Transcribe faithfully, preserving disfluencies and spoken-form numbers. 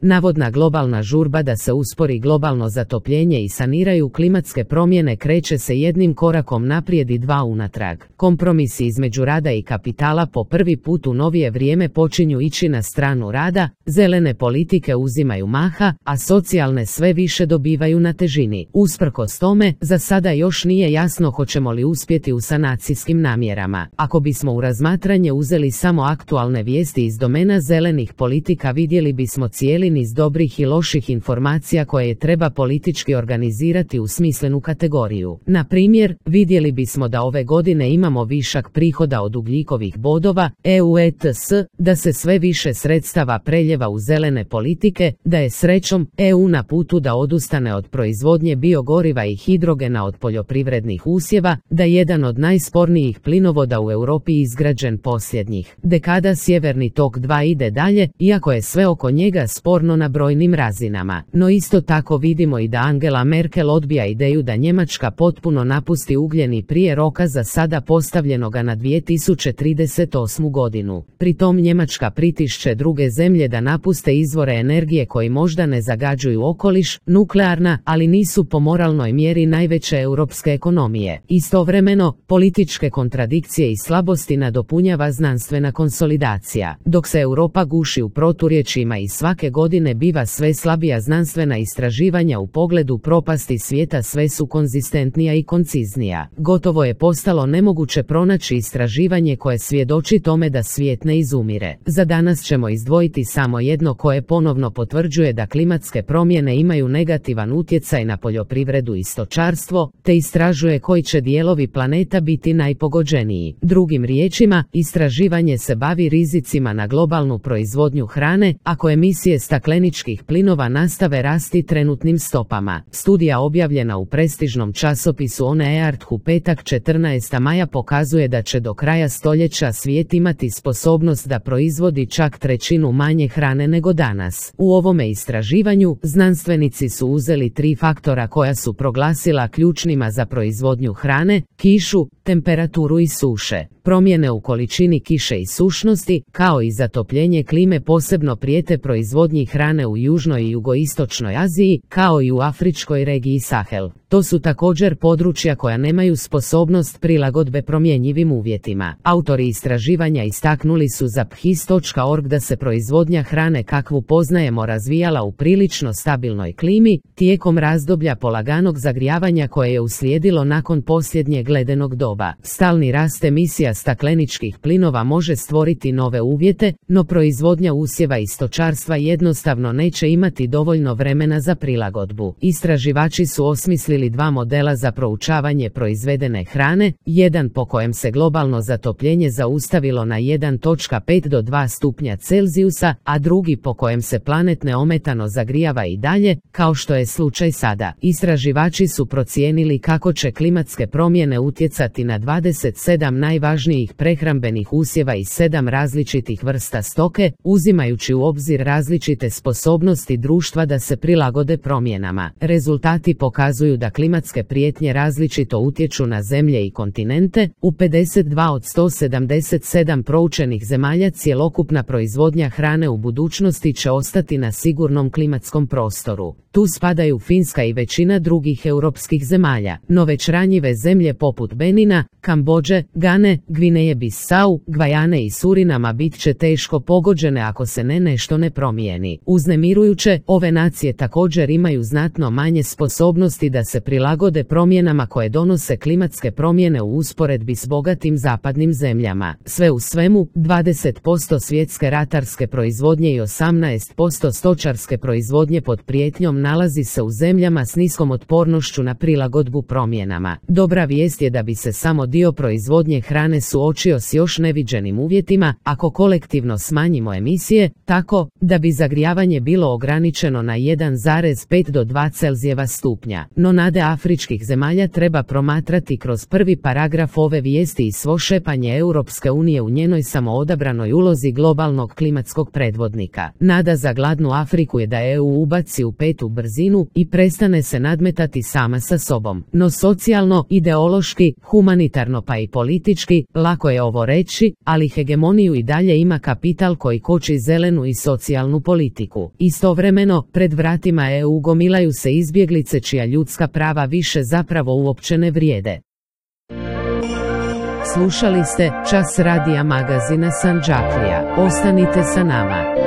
Navodna globalna žurba da se uspori globalno zatopljenje i saniraju klimatske promjene kreće se jednim korakom naprijed i dva unatrag. Kompromisi između rada i kapitala po prvi put u novije vrijeme počinju ići na stranu rada, zelene politike uzimaju maha, a socijalne sve više dobivaju na težini. Usprkos tome, za sada još nije jasno hoćemo li uspjeti u sanacijskim namjerama. Ako bismo u razmatranje uzeli samo aktualne vijesti iz domena zelenih politika, vidjeli bismo cijeli niz dobrih i loših informacija koje treba politički organizirati u smislenu kategoriju. Na primjer, vidjeli bismo da ove godine imamo višak prihoda od ugljikovih bodova, E U E T S, da se sve više sredstava preljeva u zelene politike, da je srećom E U na putu da odustane od proizvodnje biogoriva i hidrogena od poljoprivrednih usjeva, da jedan od najspornijih plinovoda u Europi izgrađen posljednjih dekada Sjeverni tok dva ide dalje, iako je sve oko njega sporno na brojnim razinama. No isto tako vidimo i da Angela Merkel odbija ideju da Njemačka potpuno napusti ugljeni prije roka za sada postavljenoga na dvije tisuće trideset osmu godinu. Pritom Njemačka pritišće druge zemlje da napuste izvore energije koji možda ne zagađuju okoliš, nuklearna, ali nisu po moralnoj mjeri najveće europske ekonomije. Istovremeno, političke kontradikcije i slabosti nadopunjava znanstvena konsolidacija. Dok se Europa guši u proturječjima i svake godine biva sve slabija, znanstvena istraživanja u pogledu propasti svijeta sve su konzistentnija i konciznija. Gotovo je postalo nemoguće pronaći istraživanje koje svjedoči tome da svijet ne izumire. Za danas ćemo izdvojiti samo jedno koje ponovno potvrđuje da klimatske promjene imaju negativan utjecaj na poljoprivredu i stočarstvo, te istražuje koji će dijelovi planeta biti najpogođeniji. Drugim riječima, istraživanje se bavi rizicima na globalnu proizvodnju hrane, ako emisije stakleničkih plinova nastave rasti trenutnim stopama. Studija objavljena u prestižnom časopisu On Earth u petak četrnaestog maja pokazuje da će do kraja stoljeća svijet imati sposobnost da proizvodi čak trećinu manje hrane nego danas. U ovome istraživanju, znanstvenici su uzeli tri faktora koja su proglasila ključnima za proizvodnju hrane: kišu, temperaturu i suše. Promjene u količini kiše i sušnosti, kao i zatopljenje klime posebno prijete proizvodnji hrane u južnoj i jugoistočnoj Aziji, kao i u afričkoj regiji Sahel. To su također područja koja nemaju sposobnost prilagodbe promjenjivim uvjetima. Autori istraživanja istaknuli su za P H I S točka org da se proizvodnja hrane kakvu poznajemo razvijala u prilično stabilnoj klimi, tijekom razdoblja polaganog zagrijavanja koje je uslijedilo nakon posljednjeg ledenog doba. Stalni rast emisija stakleničkih plinova može stvoriti nove uvjete, no proizvodnja usjeva i stočarstva jednostavno neće imati dovoljno vremena za prilagodbu. Istraživači su osmislili dva modela za proučavanje proizvedene hrane, jedan po kojem se globalno zatopljenje zaustavilo na jedan zarez pet do dva stupnja Celzijusa, a drugi po kojem se planet neometano zagrijava i dalje, kao što je slučaj sada. Istraživači su procijenili kako će klimatske promjene utjecati na dvadeset sedam najvažnijih prehrambenih usjeva i sedam različitih vrsta stoke, uzimajući u obzir različite sposobnosti društva da se prilagode promjenama. Rezultati pokazuju da klimatske prijetnje različito utječu na zemlje i kontinente. U pedeset dva od sto sedamdeset sedam proučenih zemalja cjelokupna proizvodnja hrane u budućnosti će ostati na sigurnom klimatskom prostoru. Tu spadaju Finska i većina drugih europskih zemalja, no već ranjive zemlje poput Benina, Kambodže, Gane, Gvineje Bisau, Gvajane i Surinama bit će teško pogođene ako se ne nešto ne promijeni. Uznemirujuće, ove nacije također imaju znatno manje sposobnosti da se prilagode promjenama koje donose klimatske promjene u usporedbi s bogatim zapadnim zemljama. Sve u svemu, dvadeset posto svjetske ratarske proizvodnje i osamnaest posto stočarske proizvodnje pod prijetnjom nalazi se u zemljama s niskom otpornošću na prilagodbu promjenama. Dobra vijest je da bi se samo dio proizvodnje hrane suočio s još neviđenim uvjetima ako kolektivno smanjimo emisije, tako da bi zagrijavanje bilo ograničeno na jedan zarez pet do dva Celzijeva stupnja. No nade afričkih zemalja treba promatrati kroz prvi paragraf ove vijesti i svo šepanje Europske unije u njenoj samoodabranoj ulozi globalnog klimatskog predvodnika. Nada za gladnu Afriku je da E U ubaci u petu brzinu i prestane se nadmetati sama sa sobom. No socijalno, ideološki, humanitarno pa i politički, lako je ovo reći, ali hegemoniju i dalje ima kapital koji koči zelenu i socijalnu politiku. Istovremeno, pred vratima E U gomilaju se izbjeglice čija ljudska prava više zapravo uopće ne vrijede. Slušali ste Čas radija magazina Sandžaklija. Ostanite sa nama.